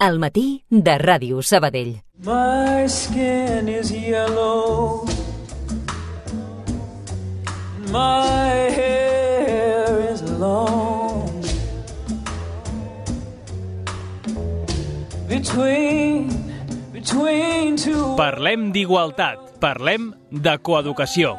Al matí de Ràdio Sabadell. My skin is yellow, my hair is long, between two. Parlem d'igualtat, parlem de coeducació.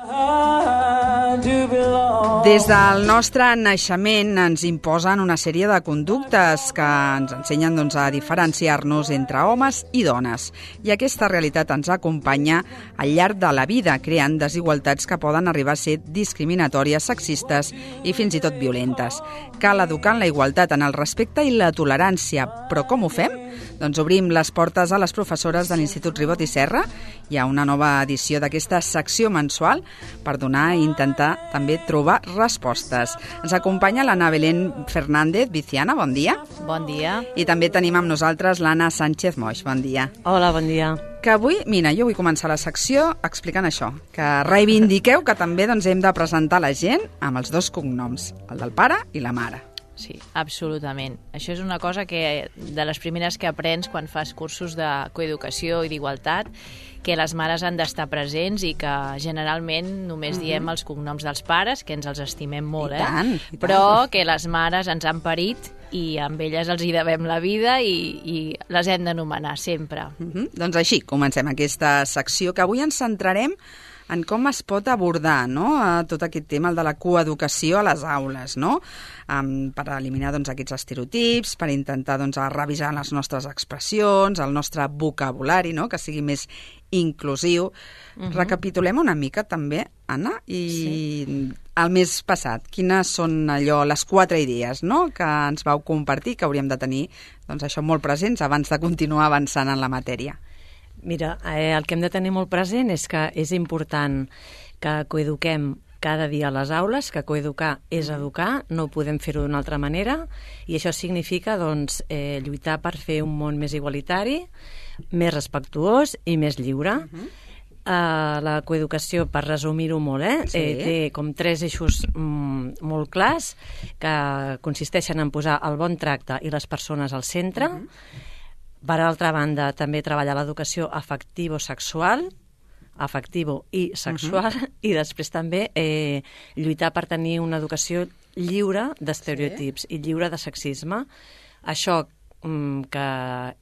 Des del nostre naixement ens imposen una sèrie de conductes que ens ensenyen a diferenciar-nos entre homes i dones. I aquesta realitat ens acompanya al llarg de la vida, creant desigualtats que poden arribar a ser discriminatòries, sexistes i fins i tot violentes. Cal educar en la igualtat, en el respecte i la tolerància. Però com ho fem? Doncs obrim les portes a les professores de l'Institut Ribot i Serra. Hi ha una nova edició d'aquesta secció mensual per donar i intentar també trobar respostes. Ens acompanya l'Anna Belén Fernández Viciana, bon dia. Bon dia. I també tenim amb nosaltres l'Anna Sánchez Moix, bon dia. Hola, bon dia. Que avui, mira, jo vull començar la secció explicant això, que reivindiqueu que també hem de presentar la gent amb els dos cognoms, el del pare i la mare. Sí, absolutament. Això és una cosa que de les primeres que aprens quan fas cursos de coeducació i d'igualtat, que les mares han d'estar presents i que generalment només diem els cognoms dels pares, que ens els estimem molt, I tant. Però que les mares ens han parit i amb elles els hi devem la vida i les hem d'anomenar sempre. Doncs així, comencem aquesta secció, que avui ens centrarem en com es pot abordar, no?, tot aquest tema, el de la coeducació a les aules, no?, per eliminar aquests estereotips, per intentar revisar les nostres expressions, el nostre vocabulari, no?, que sigui més inclusiu. Recapitulem una mica també, Anna, i el mes passat, quines són les 4 idees, no?, que ens vau compartir, que hauríem de tenir això molt presents abans de continuar avançant en la matèria. Mira, el que hem de tenir molt present és que és important que coeduquem cada dia a les aules, que coeducar és educar, no podem fer-ho d'una altra manera, i això significa lluitar per fer un món més igualitari, més respectuós i més lliure. La coeducació, per resumir-ho molt, té com 3 eixos molt clars, que consisteixen en posar el bon tracte i les persones al centre. Per altra banda, també treballar l'educació afectivo-sexual, i després també lluitar per tenir una educació lliure d'estereotips i lliure de sexisme. Això que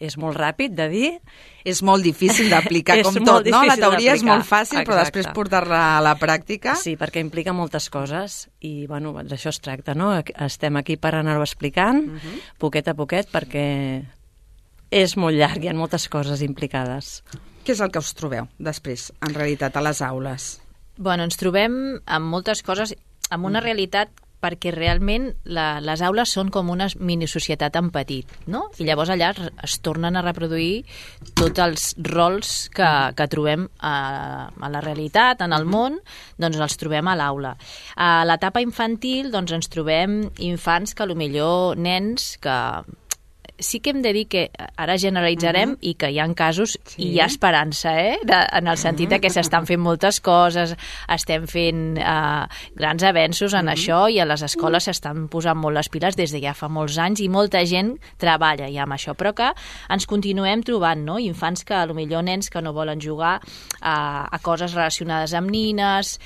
és molt ràpid de dir. És molt difícil d'aplicar, com tot, no? La teoria és molt fàcil, però després portar-la a la pràctica... Sí, perquè implica moltes coses i, d'això es tracta, no? Estem aquí per anar-ho explicant, poquet a poquet, perquè és molt llarg, hi ha moltes coses implicades. Què és el que us trobeu després, en realitat, a les aules? Ens trobem amb moltes coses, amb una realitat perquè realment les aules són com una minisocietat en petit, no? I llavors allà es tornen a reproduir tots els rols que trobem a la realitat, en el món, els trobem a l'aula. A l'etapa infantil ens trobem infants que potser nens que... Sí que hem de dir que ara generalitzarem i que hi ha casos i hi ha esperança, en el sentit que s'estan fent moltes coses, estem fent grans avenços en això i a les escoles s'estan posant molt les piles des de ja fa molts anys i molta gent treballa ja amb això, però que ens continuem trobant, no? Infants que potser nens que no volen jugar a coses relacionades amb nines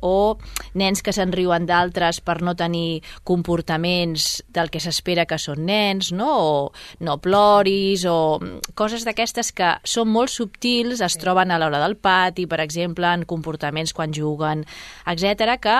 o nens que se'n riuen d'altres per no tenir comportaments del que s'espera que són nens, no? O no ploris, o coses d'aquestes que són molt subtils, es troben a l'hora del pati, per exemple, en comportaments quan juguen, etc., que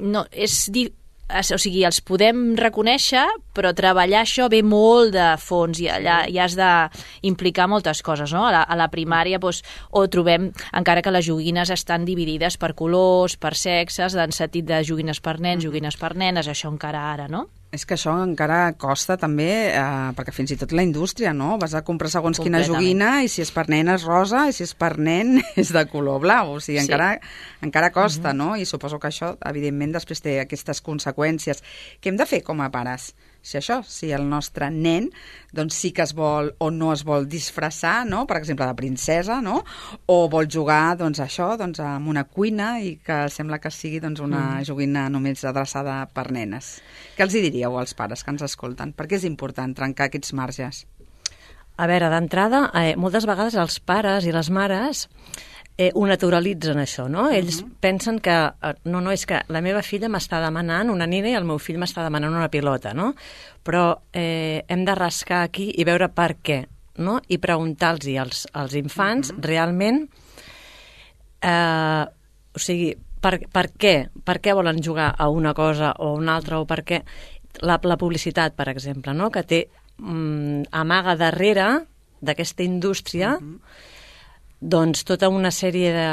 no, o sigui, els podem reconèixer, però treballar això ve molt de fons i allà ja has d'implicar moltes coses, no? A la primària o trobem, encara que les joguines estan dividides per colors, per sexes, en sentit de joguines per nens, joguines per nenes, això encara ara, no? És que això encara costa també, perquè fins i tot la indústria, no? Vas a comprar segons quina joguina i si és per nen és rosa i si és per nen és de color blau. O sigui, encara costa, no? I suposo que això, evidentment, després té aquestes conseqüències. Què hem de fer com a pares? si el nostre nen doncs sí que es vol o no es vol disfressar, no? Per exemple, de princesa, no? O vol jugar doncs, amb una cuina i que sembla que sigui doncs, una joguina només adreçada per nenes. Què els hi diríeu als pares que ens escolten? Per què és important trencar aquests marges? A veure, d'entrada, moltes vegades els pares i les mares ho naturalitzen, això, no? Ells pensen que, no, és que la meva filla m'està demanant una nina i el meu fill m'està demanant una pilota, no? Però hem de rascar aquí i veure per què, no? I preguntar-los als infants realment, o sigui, per què? Per què volen jugar a una cosa o a una altra, o per què? La publicitat, per exemple, no? Que té amaga darrere d'aquesta indústria doncs tota una sèrie de...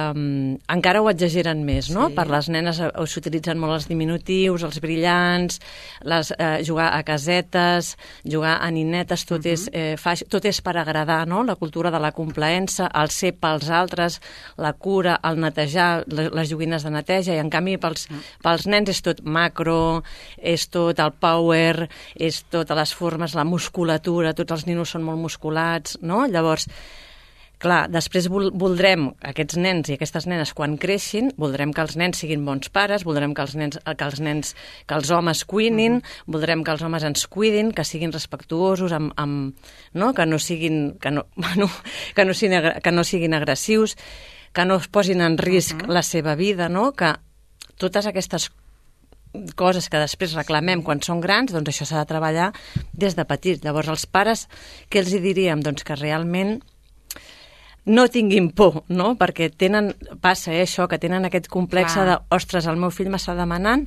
encara ho exageren més, no? Per les nenes s'utilitzen molt els diminutius, els brillants, jugar a casetes, jugar a ninetes, tot és per agradar, no? La cultura de la complaença, el ser pels altres, la cura, el netejar, les joguines de neteja, i en canvi pels nens és tot macro, és tot el power, és totes les formes, la musculatura, tots els ninos són molt musculats, no? Llavors, clar, després voldrem, aquests nens i aquestes nenes, quan creixin, voldrem que els nens siguin bons pares, voldrem que que els homes cuinin, voldrem que els homes ens cuidin, que siguin respectuosos, no? Que no siguin agressius, que no es posin en risc la seva vida, no? Que totes aquestes coses que després reclamem quan són grans, doncs això s'ha de treballar des de petits. Llavors, els pares, què els hi diríem? Doncs que realment no tinguin por, no? Perquè passa això, que tenen aquest complex de, ostres, el meu fill m'està demanant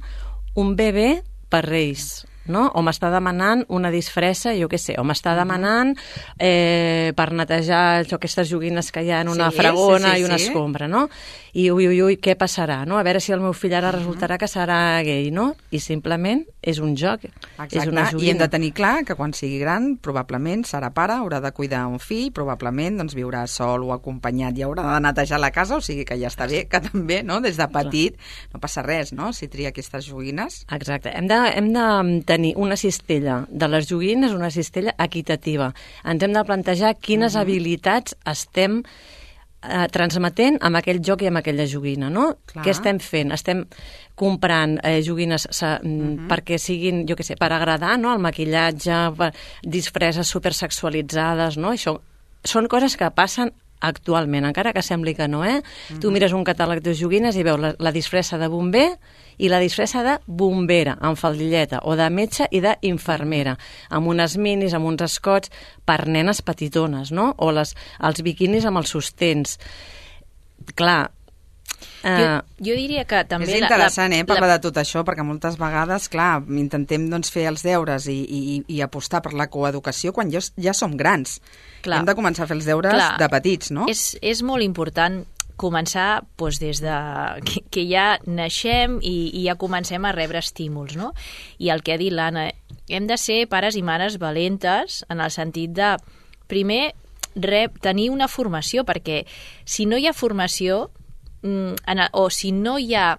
un bebè per Reis, no? O m'està demanant una disfressa, jo què sé, o m'està demanant per netejar aquestes joguines que hi ha en una fregona i una escombra, no? I ui, què passarà, no? A veure si el meu fill ara resultarà que serà gay, no? I simplement és un joc, és una joguina. I hem de tenir clar que quan sigui gran probablement serà pare, haurà de cuidar un fill, probablement doncs, viurà sol o acompanyat i haurà de netejar la casa, o sigui que ja està bé, que també, no? Des de petit no passa res, no? Si tria aquestes joguines. Exacte. Hem de tenir una cistella de les joguines, una cistella equitativa. Ens hem de plantejar quines habilitats estem transmetent amb aquell joc i amb aquella joguina, no? Què estem fent? Estem comprant joguines perquè siguin, jo què sé, per agradar, no? El maquillatge, disfresses supersexualitzades, no? Això són coses que passen actualment, encara que sembli que no, Tu mires un catàleg de joguines i veus la disfressa de bomber i la disfressa de bombera, amb faldilleta, o de metge i d'infermera, amb unes minis, amb uns escots, per nenes petitones, no? O els biquinis amb els sostens. Clar, jo diria que també... És interessant, parlar de tot això, perquè moltes vegades, clar, intentem doncs, fer els deures i apostar per la coeducació quan ja som grans. Clar. Hem de començar a fer els deures de petits, no? És molt important començar doncs, des de que ja naixem i ja comencem a rebre estímuls, no? I el que ha dit l'Anna, hem de ser pares i mares valentes en el sentit de, primer, tenir una formació, perquè si no hi ha formació o si no hi ha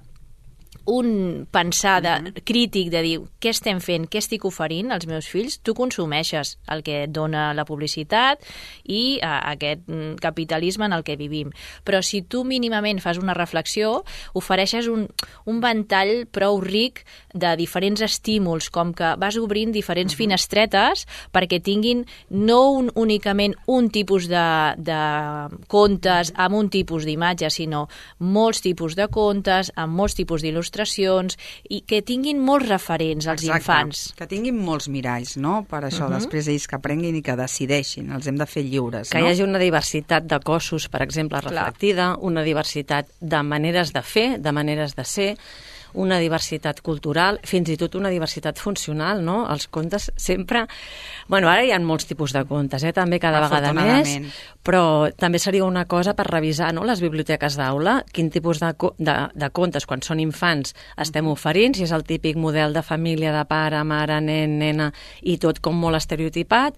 un pensar crític de dir què estem fent, què estic oferint als meus fills, tu consumeixes el que et dona la publicitat i aquest capitalisme en el que vivim. Però si tu mínimament fas una reflexió, ofereixes un ventall prou ric de diferents estímuls, com que vas obrint diferents finestretes perquè tinguin no únicament un tipus de contes amb un tipus d'imatge, sinó molts tipus de contes, amb molts tipus d'il·lustracions, i que tinguin molts referents als infants. Que tinguin molts miralls, no? Per això, després ells que aprenguin i que decideixin, els hem de fer lliures, que hi hagi una diversitat de cossos, per exemple, reflectida, una diversitat de maneres de fer, de maneres de ser, una diversitat cultural, fins i tot una diversitat funcional, no? Els contes sempre... Bueno, ara hi ha molts tipus de contes, també cada vegada més, però també seria una cosa per revisar, no?, les biblioteques d'aula, quin tipus de contes, quan són infants, estem oferint, si és el típic model de família de pare, mare, nen, nena, i tot com molt estereotipat,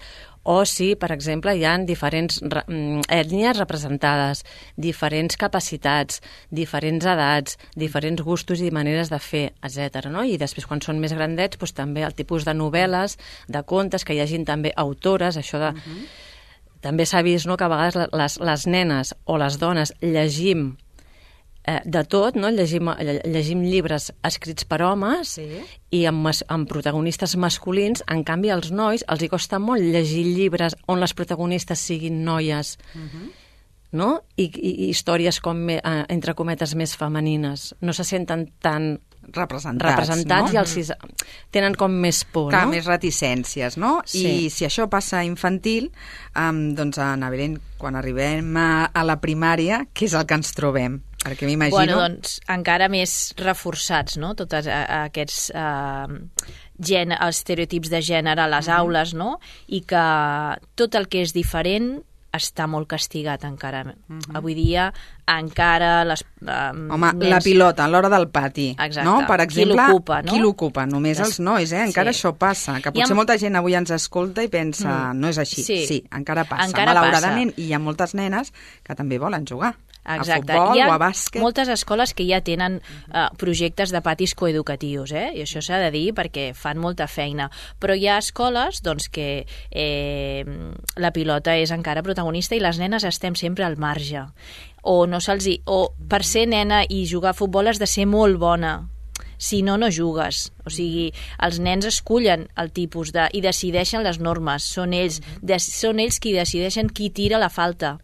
O si, per exemple, hi ha diferents ètnies representades, diferents capacitats, diferents edats, diferents gustos i maneres de fer, etc. No? I després, quan són més grandets, doncs, també el tipus de novel·les, de contes, que hi hagin també autores, això de... També s'ha vist, no?, que a vegades les nenes o les dones llegim de tot, no? Llegim llibres escrits per homes i amb protagonistes masculins. En canvi, als nois els hi costa molt llegir llibres on les protagonistes siguin noies, no? I històries com, entre cometes, més femenines. No se senten tan representats, no? I els tenen com més por, clar, no? Més reticències, no? Sí. I si això passa a infantil, doncs, Ana Belén, quan arribem a la primària, què és el que ens trobem? Perquè m'imagino... Bueno, doncs encara més reforçats, no?, tots aquests estereotips de gènere a les aules, no?, i que tot el que és diferent està molt castigat encara. Avui dia encara les... Home, la pilota a l'hora del pati. Exacte. No? Per exemple, qui l'ocupa, no? Qui l'ocupa? Només els nois, Encara això passa. Que potser molta gent avui ens escolta i pensa, no és així. Sí, encara passa. Malauradament, i hi ha moltes nenes que també volen jugar. Exacte. A futbol o a bàsquet. Moltes escoles que ja tenen projectes de patis coeducatius, i això s'ha de dir perquè fan molta feina. Però hi ha escoles doncs, que la pilota és encara protagonista i les nenes estem sempre al marge. O per ser nena i jugar a futbol has de ser molt bona. Si no, no jugues. O sigui, els nens escullen el tipus i decideixen les normes. Són ells qui decideixen qui tira la falta.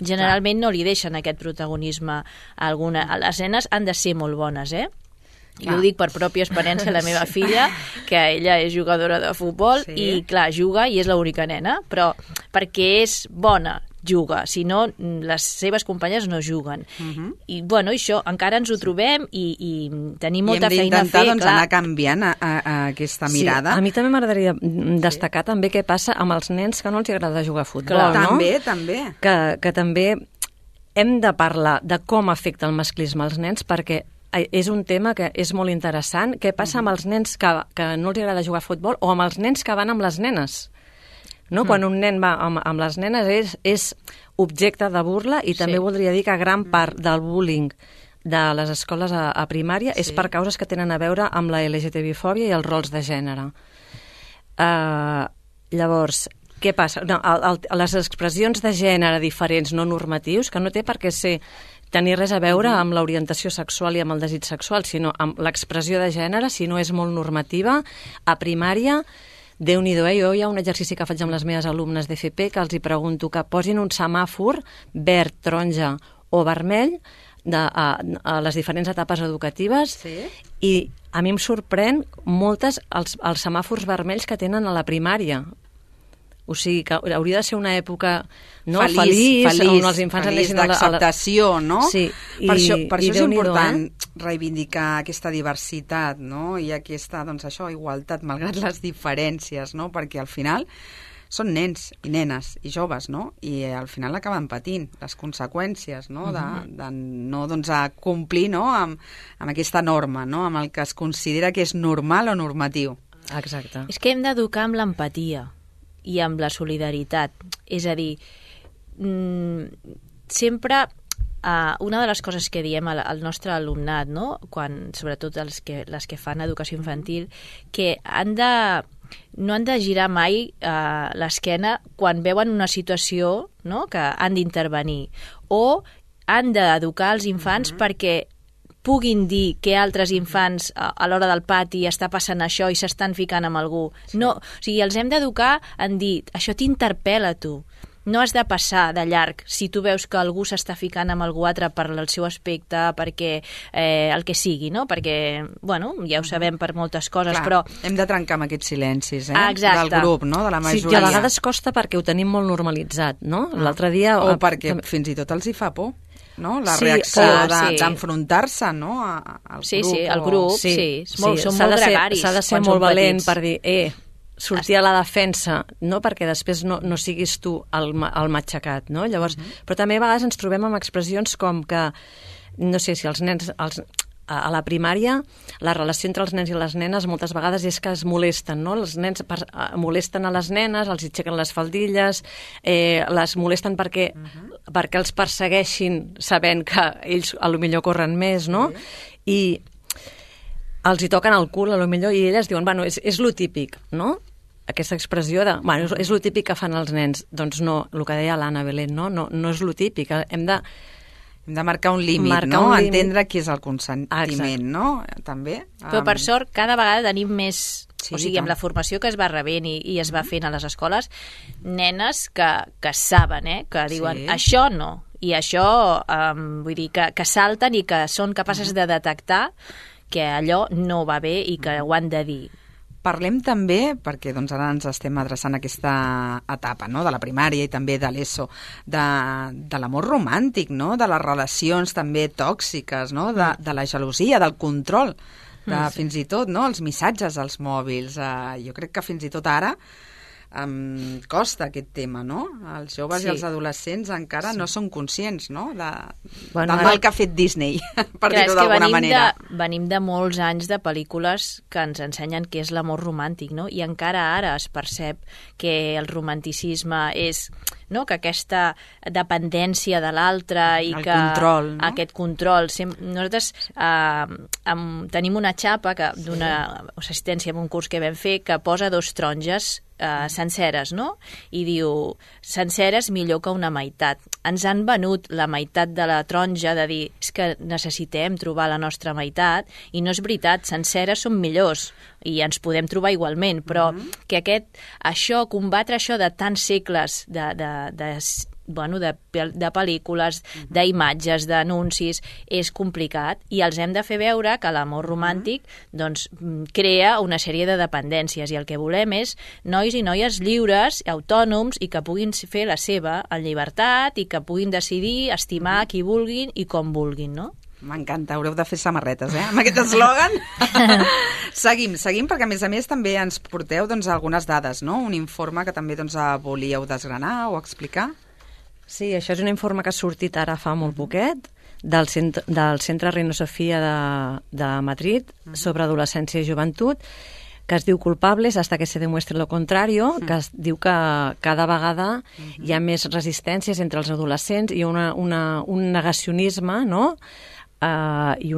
Generalment no li deixen aquest protagonisme a alguna. Les nenes han de ser molt bones, Jo ho dic per pròpia experiència, la meva filla, que ella és jugadora de futbol i, clar, juga i és l'única nena, però perquè és bona, juga, si no, les seves companyes no juguen. I, bueno, això, encara ens ho trobem i tenim molta feina a fer. I hem d'intentar anar canviant aquesta mirada. A mi també m'agradaria destacar també què passa amb els nens que no els agrada jugar a futbol, no? També. Que també hem de parlar de com afecta el masclisme als nens, perquè és un tema que és molt interessant. Què passa amb els nens que no els agrada jugar a futbol o amb els nens que van amb les nenes? No? Quan un nen va amb les nenes és objecte de burla i també voldria dir que gran part del bullying de les escoles a primària és per causes que tenen a veure amb la LGTB-fòbia i els rols de gènere. Llavors, què passa? No, les expressions de gènere diferents, no normatius, que no té per què tenir res a veure amb l'orientació sexual i amb el desig sexual, sinó amb l'expressió de gènere, si no és molt normativa, a primària, Déu-n'hi-do, jo hi ha un exercici que faig amb les meves alumnes d'FP que els hi pregunto que posin un semàfor verd, taronja o vermell a les diferents etapes educatives i a mi em sorprèn moltes els semàfors vermells que tenen a la primària. O sigui, que hauria de ser una època feliç on els infants feliç d'acceptació, no? Sí. Per això és important reivindicar aquesta diversitat, no? I aquesta, doncs això, igualtat, malgrat les diferències, no? Perquè al final són nens i nenes i joves, no? I al final acaben patint les conseqüències, no? De no, doncs, a complir, no? Amb aquesta norma, no? Amb el que es considera que és normal o normatiu. Exacte. És que hem d'educar amb l'empatia i amb la solidaritat. És a dir, sempre una de les coses que diem al nostre alumnat, no? Sobretot les que fan educació infantil, que no han de girar mai l'esquena quan veuen una situació, no? Que han d'intervenir, o han d'educar els infants perquè puguin dir que altres infants a l'hora del pati està passant això i s'estan ficant amb algú. No, o sigui, els hem d'educar en dir, això t'interpel·la a tu. No has de passar de llarg si tu veus que algú s'està ficant amb algú altre per el seu aspecte, perquè el que sigui, no? Perquè, bueno, ja ho sabem per moltes coses, però... Hem de trencar amb aquests silencis, Exacte. Del grup, no? De la majoria. Sí, i a vegades costa perquè ho tenim molt normalitzat, no? L'altre dia... O perquè fins i tot els hi fa por. No? La reacció d'enfrontar-se, no? Al grup. Sí, al grup, sí. Són molt gregaris. S'ha de ser molt valent per dir, sortir a la defensa, no? Perquè després no siguis tu el matxacat, no? Llavors, però també a vegades ens trobem amb expressions com que, no sé, si els nens a la primària la relació entre els nens i les nenes moltes vegades és que es molesten, no? Els nens molesten a les nenes, els aixequen les faldilles, les molesten perquè els persegueixin sabent que ells a lo millor corren més, no? I els hi toquen el cul a lo millor i elles diuen, bueno, és lo típic, no? Aquesta expressió de, bueno, és lo típic que fan els nens. Doncs no, el que deia l'Anna Belén, no és lo típic. Hem de marcar un límit, no? Entendre què és el consentiment, no? També. Però per sort, cada vegada tenim més... Sí, o sigui, amb la formació que es va rebent i es va fent a les escoles, nenes que saben, que diuen, això no, i això, vull dir, que salten i que són capaces de detectar que allò no va bé i que ho han de dir. Parlem també, perquè doncs, ara ens estem adreçant a aquesta etapa, no?, de la primària i també de l'ESO, de l'amor romàntic, no?, de les relacions també tòxiques, no?, de la gelosia, del control, fins i tot, no?, els missatges als mòbils. Jo crec que fins i tot ara costa aquest tema, no? Els joves i els adolescents encara no són conscients, no?, del mal que ha fet Disney, per dir-ho d'alguna manera. Venim de molts anys de pel·lícules que ens ensenyen què és l'amor romàntic, no? I encara ara es percep que el romanticisme és, no?, que aquesta dependència de l'altre i que control, no? Aquest control. Nosaltres tenim una xapa d'una assistència en un curs que vam fer que posa 2 taronges senceres, no? I diu, senceres millor que una meitat. Ens han venut la meitat de la taronja de dir, és que necessitem trobar la nostra meitat, i no és veritat, senceres són millors i ens podem trobar igualment, però que combatre això de tants segles de pel·lícules, d'imatges, d'anuncis, és complicat i els hem de fer veure que l'amor romàntic doncs, crea una sèrie de dependències i el que volem és nois i noies lliures, autònoms i que puguin fer la seva en llibertat i que puguin decidir estimar qui vulguin i com vulguin, no? M'encanta, haureu de fer samarretes, amb aquest eslògan. Seguim, perquè a més també ens porteu doncs, algunes dades, no? Un informe que també doncs, volíeu desgranar o explicar. Sí, això és un informe que ha sortit ara fa molt poquet del Centre Reina Sofia de Madrid sobre adolescència i joventut, que es diu Culpables hasta que se demuestre lo contrario, que es diu que cada vegada hi ha més resistències entre els adolescents i un negacionisme, no?, i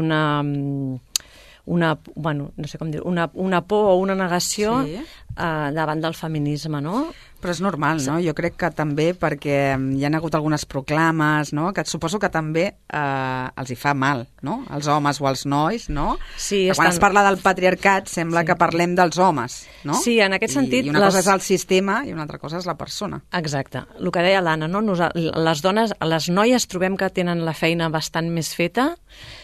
bueno, no sé com dir, una por o una negació davant del feminisme, no? Però és normal, no? Jo crec que també perquè hi ha hagut algunes proclames, no?, que suposo que també els hi fa mal, no?, als homes o als nois, no? Sí, quan es parla del patriarcat sembla que parlem dels homes, no? Sí, en aquest sentit... I una cosa és el sistema i una altra cosa és la persona. Exacte. El que deia l'Anna, no? Les dones, les noies trobem que tenen la feina bastant més feta,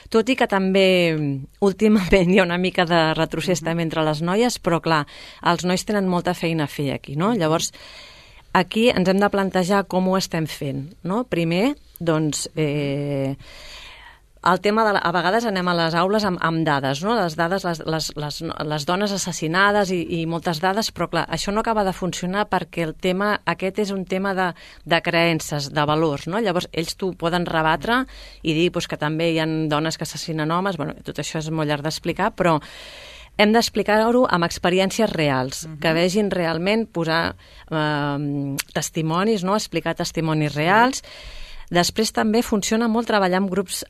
tot i que també últimament hi ha una mica de retrocés també entre les noies, però clar, els nois tenen molta feina a fer aquí, no? Llavors, aquí ens hem de plantejar com ho estem fent, no? Primer, doncs, el tema a vegades anem a les aules amb dades, no? Les dades, les dones assassinades i moltes dades, però clar, això no acaba de funcionar perquè el tema aquest és un tema de creences, de valors, no? Llavors ells t'ho poden rebatre i dir pues, que també hi ha dones que assassinen homes, bueno, tot això és molt llarg d'explicar, però hem d'explicar-ho amb experiències reals, que vegin realment posar testimonis, no? Explicar testimonis reals. Després també funciona molt treballar amb grups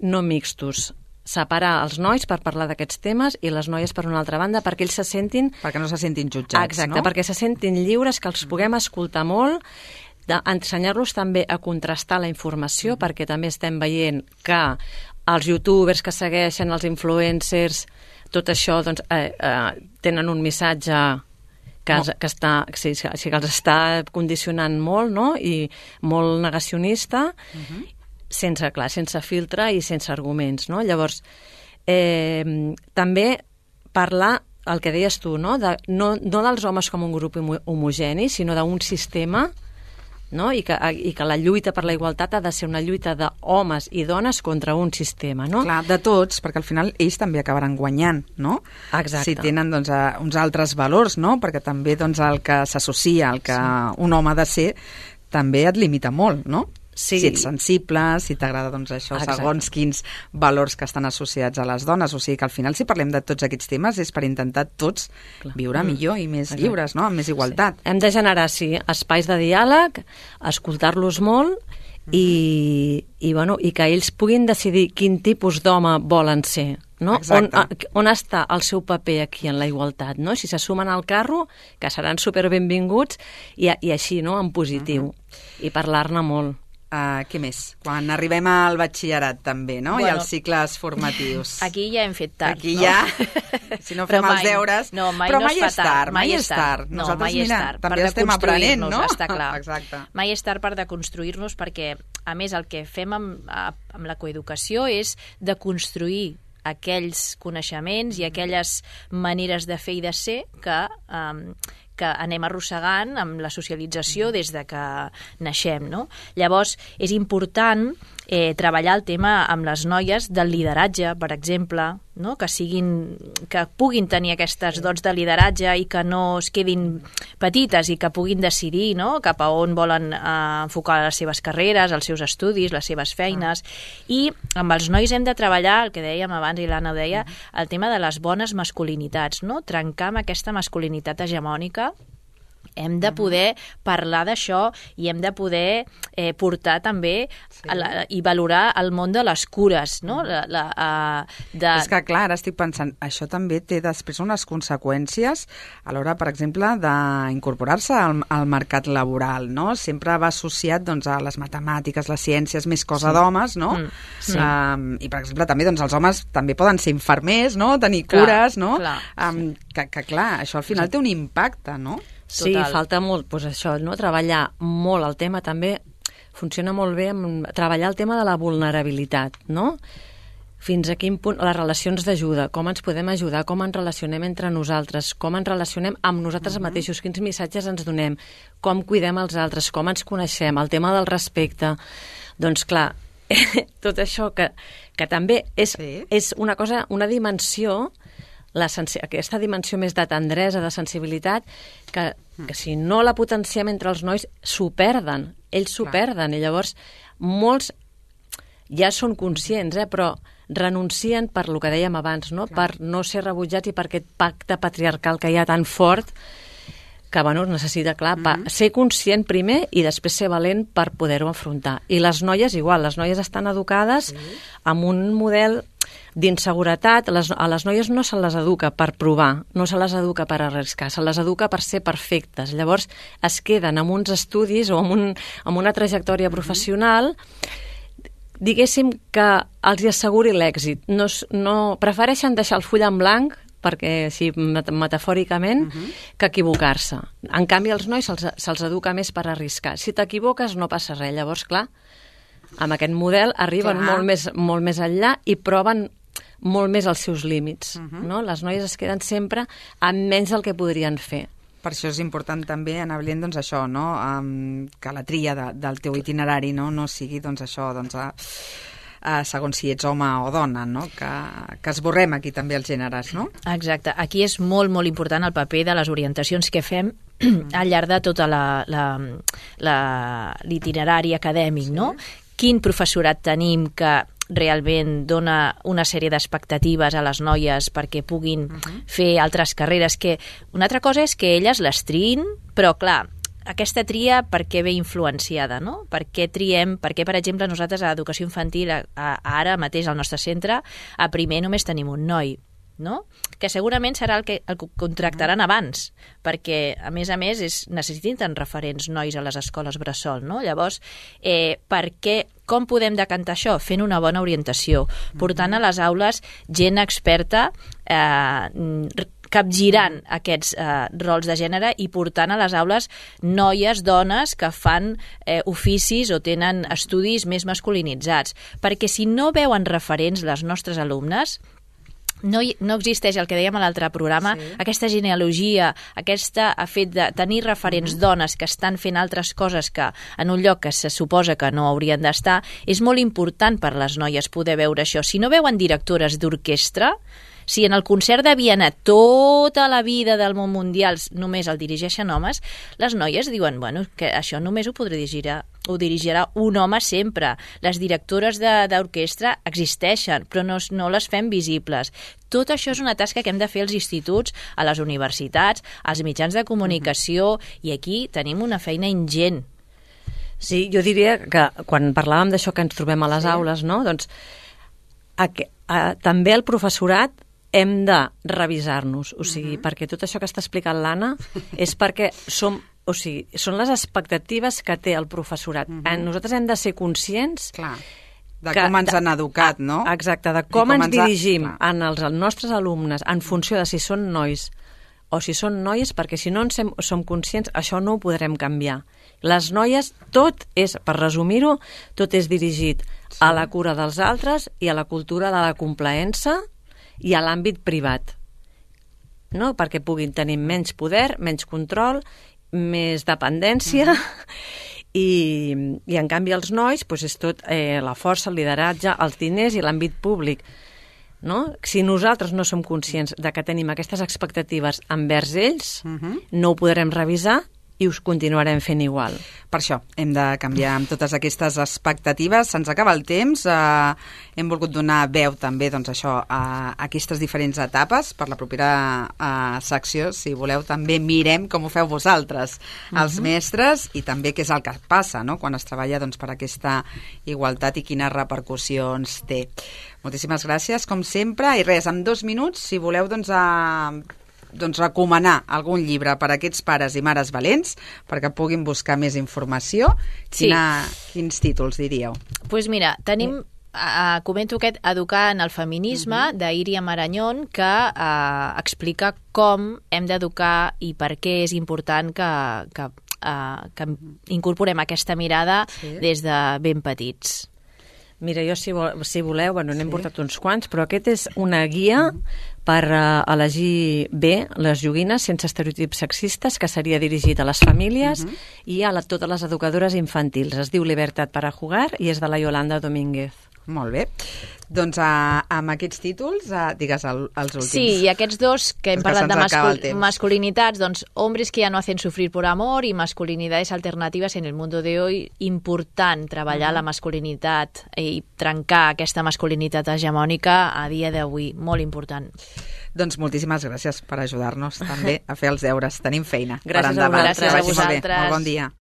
no mixtos, separar els nois per parlar d'aquests temes i les noies per una altra banda, perquè ells se sentin... Perquè no se sentin jutjats, exacte, no? Perquè se sentin lliures, que els puguem escoltar molt, ensenyar-los també a contrastar la informació, perquè també estem veient que els youtubers que segueixen, els influencers, tot això doncs, tenen un missatge... que els està condicionant molt, no?, i molt negacionista, sense filtre i sense arguments, no? Llavors, també parlar, el que deies tu, no dels homes com un grup homogeni, sinó d'un sistema, no? I que la lluita per la igualtat ha de ser una lluita d'homes i dones contra un sistema, no? Clar, de tots, perquè al final ells també acabaran guanyant, no? Exacte. Si tenen doncs, uns altres valors, no? Perquè també doncs, el que s'associa, el que un home ha de ser, també et limita molt, no? Sí. Si ets sensible, si t'agrada doncs, això, Exacte. segons quins valors que estan associats a les dones. O sigui que al final, si parlem de tots aquests temes, és per intentar tots viure millor i més lliures, no? Amb més igualtat. Hem de generar, espais de diàleg, escoltar-los molt i que ells puguin decidir quin tipus d'home volen ser. No? On està el seu paper aquí en la igualtat, no? Si se sumen al carro, que seran superbenvinguts i així, no?, en positiu, i parlar-ne molt. Què més? Quan arribem al batxillerat també, no? I als cicles formatius. Aquí ja hem fet tard. Aquí ja, si no fem els deures... No, però mai és tard, mai és tard. No, nosaltres, mai és tard. també estem aprenent, no? Està clar. Exacte. Mai és tard per deconstruir-nos perquè, a més, el que fem amb la coeducació és deconstruir aquells coneixements i aquelles maneres de fer i de ser que anem arrossegant amb la socialització des de que naixem, no? Llavors, és important treballar el tema amb les noies del lideratge, per exemple, no? que puguin tenir aquestes dots de lideratge i que no es quedin petites i que puguin decidir, no?, cap a on volen enfocar les seves carreres, els seus estudis, les seves feines. I amb els nois hem de treballar, el que dèiem abans i l'Anna ho deia, el tema de les bones masculinitats, no? Trencar amb aquesta masculinitat hegemònica. Hem de poder parlar d'això i hem de poder portar també i valorar el món de les cures, no? És que, clar, ara estic pensant, això també té després unes conseqüències a l'hora, per exemple, d'incorporar-se al mercat laboral, no? Sempre va associat, doncs, a les matemàtiques, les ciències, més cosa d'homes, no? Sí. I, per exemple, també, doncs, els homes també poden ser infermers, no? Tenir cures, no? Que, clar, això al final té un impacte, no? Sí, falta molt, doncs això, no? Treballar molt el tema també, funciona molt bé treballar el tema de la vulnerabilitat, no? Fins a quin punt les relacions d'ajuda, com ens podem ajudar, com ens relacionem entre nosaltres, com ens relacionem amb nosaltres mateixos, quins missatges ens donem, com cuidem els altres, com ens coneixem, el tema del respecte. Doncs clar, tot això que també és una cosa, una dimensió, aquesta dimensió més de tendresa, de sensibilitat, que si no la potenciem entre els nois, s'ho perden. Ells s'ho perden. I llavors, molts ja són conscients, però renuncien per lo que dèiem abans, no? Per no ser rebutjats i per aquest pacte patriarcal que hi ha tan fort que necessita, clar, ser conscient primer i després ser valent per poder-ho afrontar. I les noies igual, les noies estan educades amb un model d'inseguretat. A les noies no se les educa per provar, no se les educa per arriscar, se les educa per ser perfectes. Llavors es queden amb uns estudis o amb una trajectòria professional, diguéssim, que els asseguri l'èxit. No prefereixen deixar el full en blanc, perquè així metafòricament, que equivocar-se. En canvi, als nois se'ls educa més per arriscar. Si t'equivoques no passa res. Llavors, clar, amb aquest model arriben molt més enllà i proven molt més els seus límits. No? Les noies es queden sempre amb menys del que podrien fer. Per això és important també, Anna Blient, doncs això, no? Que la tria del teu itinerari no sigui doncs això, segons si ets home o dona, no? Que esborrem aquí també els gèneres, no? Exacte. Aquí és molt, molt important el paper de les orientacions que fem al llarg de tota l'itinerari acadèmic, no? Quin professorat tenim que realment dona una sèrie d'expectatives a les noies perquè puguin fer altres carreres, que una altra cosa és que elles les triïn, però clar, aquesta tria per què ve influenciada, no? Per què triem, per exemple, nosaltres a Educació Infantil, ara mateix al nostre centre, a primer només tenim un noi, no? Que segurament serà el que contractaran abans, perquè, a més, necessiten referents nois a les escoles bressol, no? Llavors, com podem decantar això? Fent una bona orientació, portant a les aules gent experta, capgirant aquests rols de gènere i portant a les aules noies, dones que fan oficis o tenen estudis més masculinitzats. Perquè si no veuen referents les nostres alumnes, no existeix el que dèiem a l'altre programa, aquesta genealogia, aquest fet de tenir referents dones que estan fent altres coses que en un lloc que se suposa que no haurien d'estar, és molt important per les noies poder veure això. Si no veuen directores d'orquestra, Si en el concert de Viena tota la vida del món mundial només el dirigeixen homes, les noies diuen, bueno, que això només ho dirigirà un home sempre. Les directores d'orquestra existeixen, però no les fem visibles. Tot això és una tasca que hem de fer als instituts, a les universitats, als mitjans de comunicació, i aquí tenim una feina ingent. Sí, jo diria que quan parlàvem d'això que ens trobem a les aules, no? Doncs també el professorat hem de revisar-nos, o sigui, perquè tot això que està explicant l'Anna és perquè són les expectatives que té el professorat. Nosaltres hem de ser conscients de com ens han educat, no? Exacte, de com ens dirigim als nostres alumnes en funció de si són nois o si són noies, perquè si no en som conscients, això no ho podrem canviar. Les noies, per resumir-ho, tot és dirigit a la cura dels altres i a la cultura de la complaença i a l'àmbit privat, no? Perquè puguin tenir menys poder, menys control, més dependència, i en canvi els nois és tot la força, el lideratge, els diners i l'àmbit públic. No? Si nosaltres no som conscients de que tenim aquestes expectatives envers ells, no ho podrem revisar i us continuarem fent igual. Per això hem de canviar amb totes aquestes expectatives. Se'ns acaba el temps. Hem volgut donar veu també a aquestes diferents etapes. Per la propera secció, si voleu, també mirem com ho feu vosaltres, els mestres, i també què és el que passa, no?, quan es treballa per aquesta igualtat i quines repercussions té. Moltíssimes gràcies, com sempre. I res, en 2 minuts, si voleu, recomanar algun llibre per a aquests pares i mares valents perquè puguin buscar més informació. Quins títols diríeu? Doncs mira, tenim, comento aquest Educar en el feminisme, d'Iria Marañón, que explica com hem d'educar i per què és important que incorporem aquesta mirada des de ben petits. Mira, jo, si voleu, n'hem portat uns quants, però aquest és una guia per elegir bé les joguines sense estereotips sexistes, que seria dirigit a les famílies i a totes les educadores infantils. Es diu Libertad para jugar i és de la Yolanda Domínguez. Molt bé. Doncs amb aquests títols, digues els últims. Sí, i aquests dos que hem parlat de masculinitats, doncs Hombres que ya no hacen sufrir por amor i Masculinidades alternativas en el mundo de hoy. Important treballar la masculinitat i trencar aquesta masculinitat hegemònica a dia d'avui. Molt important. Doncs moltíssimes gràcies per ajudar-nos també a fer els deures. Tenim feina. Gràcies a vosaltres. Molt bon dia.